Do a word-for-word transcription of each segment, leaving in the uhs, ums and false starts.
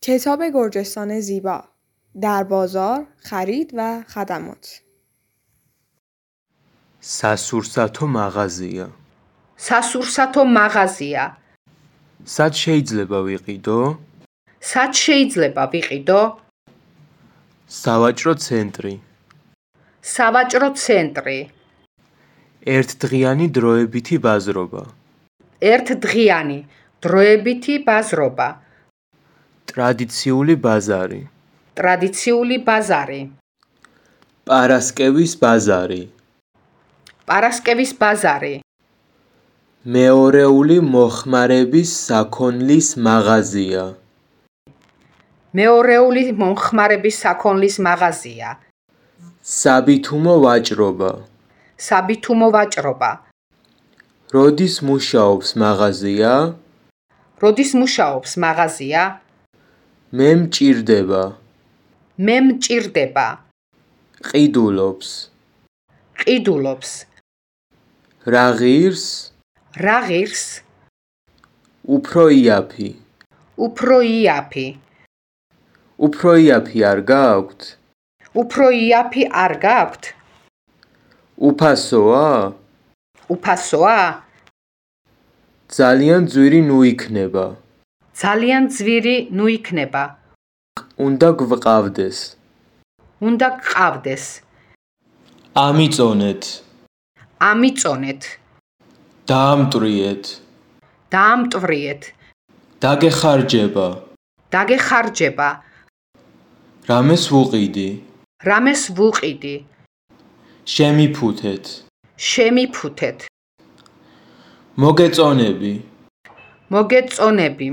کتاب گرجستان زیبا در بازار خرید و خدمات სასურსათო მაღაზია. სასურსათო მაღაზია. სად შეიძლება ვიყიდო? სად შეიძლება ვიყიდო? სავაჭრო ცენტრი. სავაჭრო ცენტრი. ერთდღიანი დროებითი ბაზრობა. ერთდღიანი დროებითი ბაზრობა. ტრადიციული ბაზარი. ტრადიციული ბაზარი. პარასკევის ბაზარი. პარასკევის ბაზარი. მეორეული მოხმარების საქონლის მაღაზია. მეორეული მომხმარების საქონლის მაღაზია. საბითუმო ვაჭრობა. საბითუმო ვაჭრობა. როდის მუშაობს მაღაზია? როდის მუშაობს მაღაზია? მე მჭირდება. მე მჭირდება. ყიდულობს. ყიდულობს. რა ღირს? რა ღირს? უფრო იაფი. უფრო იაფი. უფრო იაფი არ გაქვთ? უფრო იაფი არ გაქვთ? უფასოა? უფასოა? ძალიან ძვირი ნუ იქნება. ძალიან ძვირი ნუ იქნება. უნდა გვყავდეს. უნდა გყავდეს. ამიწონეთ. ამიწონეთ. დაამტვრიეთ. დაამტვრიეთ. დაგეხარჯება. დაგეხარჯება. რამეს ვუყიდი? რამეს ვუყიდი? შემიფუთეთ. შემიფუთეთ. მოგეწონები. მოგეწონები.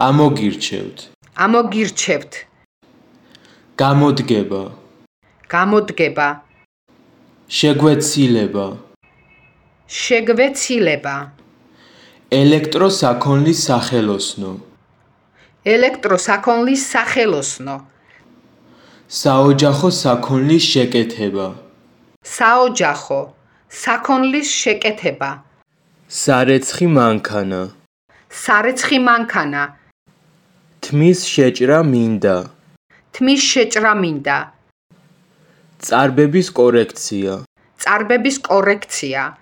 ამოგირჩევთ. ამოგირჩევთ. გამოდგება. გამოდგება. შეგვეცილება. შეგვეცილება. ელექტროსაქონლის სახელოსნო. ელექტროსაქონლის სახელოსნო. საოჯახო საქონლის შეკეთება. საოჯახო საქონლის შეკეთება. სარეცხი მანქანა. სარეცხი მანქანა. თმის შეჭრა მინდა. თმის შეჭრა მინდა. წარბების კორექცია. წარბების კორექცია.